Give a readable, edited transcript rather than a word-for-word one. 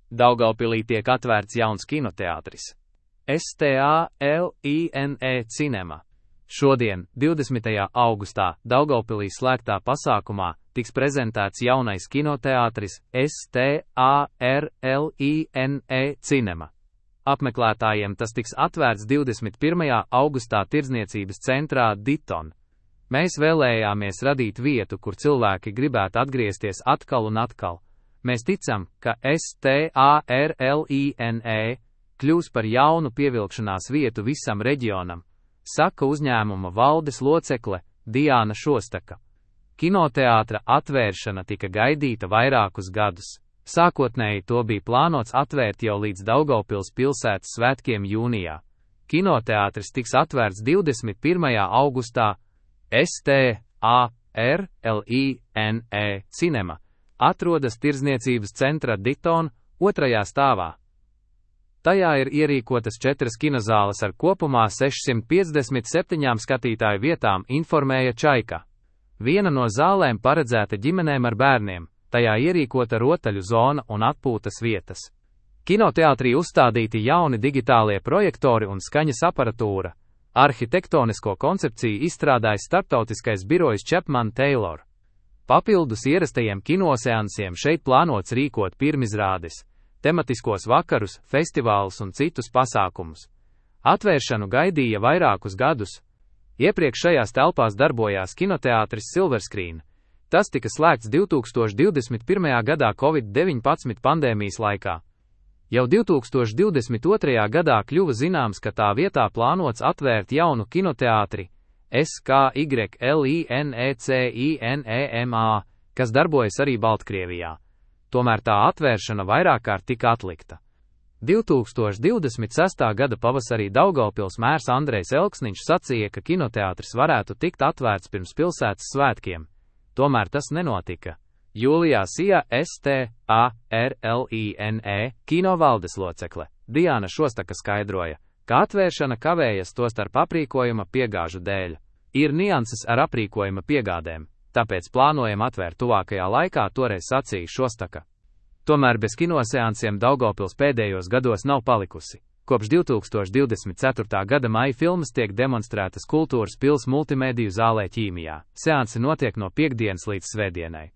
Daugavpilī tiek atvērts jauns kinoteātris. STALINE Cinema. Šodien, 20. augustā, Daugavpilī slēgtā pasākumā tiks prezentēts jaunais kinoteātris STARLINE Cinema. Apmeklētājiem tas tiks atvērts 21. augustā Tirdzniecības centrā Diton. Mēs vēlējāmies radīt vietu, kur cilvēki gribētu atgriezties atkal un atkal. Mēs ticam, ka STARLINE kļūs par jaunu pievilkšanās vietu visam reģionam, saka uzņēmuma valdes locekle Diāna Šostaka. Kinoteātra atvēršana tika gaidīta vairākus gadus. Sākotnēji to bija plānots atvērt jau līdz Daugavpils pilsētas svētkiem jūnijā. Kinoteātris tiks atvērts 21. augustā. STARLINE Cinema atrodas Tirdzniecības centra Diton 2. stāvā. Tajā ir ierīkotas 4 kinozāles ar kopumā 657 skatītāju vietām, informēja Čaika. Viena no zālēm paredzēta ģimenēm ar bērniem, tajā ierīkota rotaļu zona un atpūtas vietas. Kinoteātrī uzstādīti jauni digitālie projektori un skaņas aparatūra. Arhitektonisko koncepciju izstrādājis starptautiskais birojs Chapman Taylor. Papildus ierastajiem kinoseansiem šeit plānots rīkot pirmizrādes, tematiskos vakarus, festivālus un citus pasākumus. Atvēršanu gaidīja vairākus gadus. Iepriekš šajās telpās darbojās kinoteātris Silver Screen. Tas tika slēgts 2021. gadā Covid-19 pandēmijas laikā. Jau 2022. gadā kļuva zināms, ka tā vietā plānots atvērt jaunu kinoteātri SKYLINECINEMA, kas darbojas arī Baltkrievijā. Tomēr tā atvēršana vairāk kārt tika atlikta. 2026. gada pavasarī Daugavpils mērs Andrejs Elksniņš sacīja, ka kinoteātris varētu tikt atvērts pirms pilsētas svētkiem. Tomēr tas nenotika. Jūlijā Sija STARLINE kino valdes locekle Diāna Šostaka skaidroja, ka atvēršana kavējas tostarp aprīkojuma piegāžu dēļ. Ir nianses ar aprīkojuma piegādēm, tāpēc plānojam atvērt tuvākajā laikā, toreiz sacīja Šostaka. Tomēr bez kinoseansiem Daugavpils pēdējos gados nav palikusi. Kopš 2024. gada maija filmas tiek demonstrētas Kultūras pils multimediju zālē Ķīmijā. Seansi notiek no piektdienas līdz svētdienai.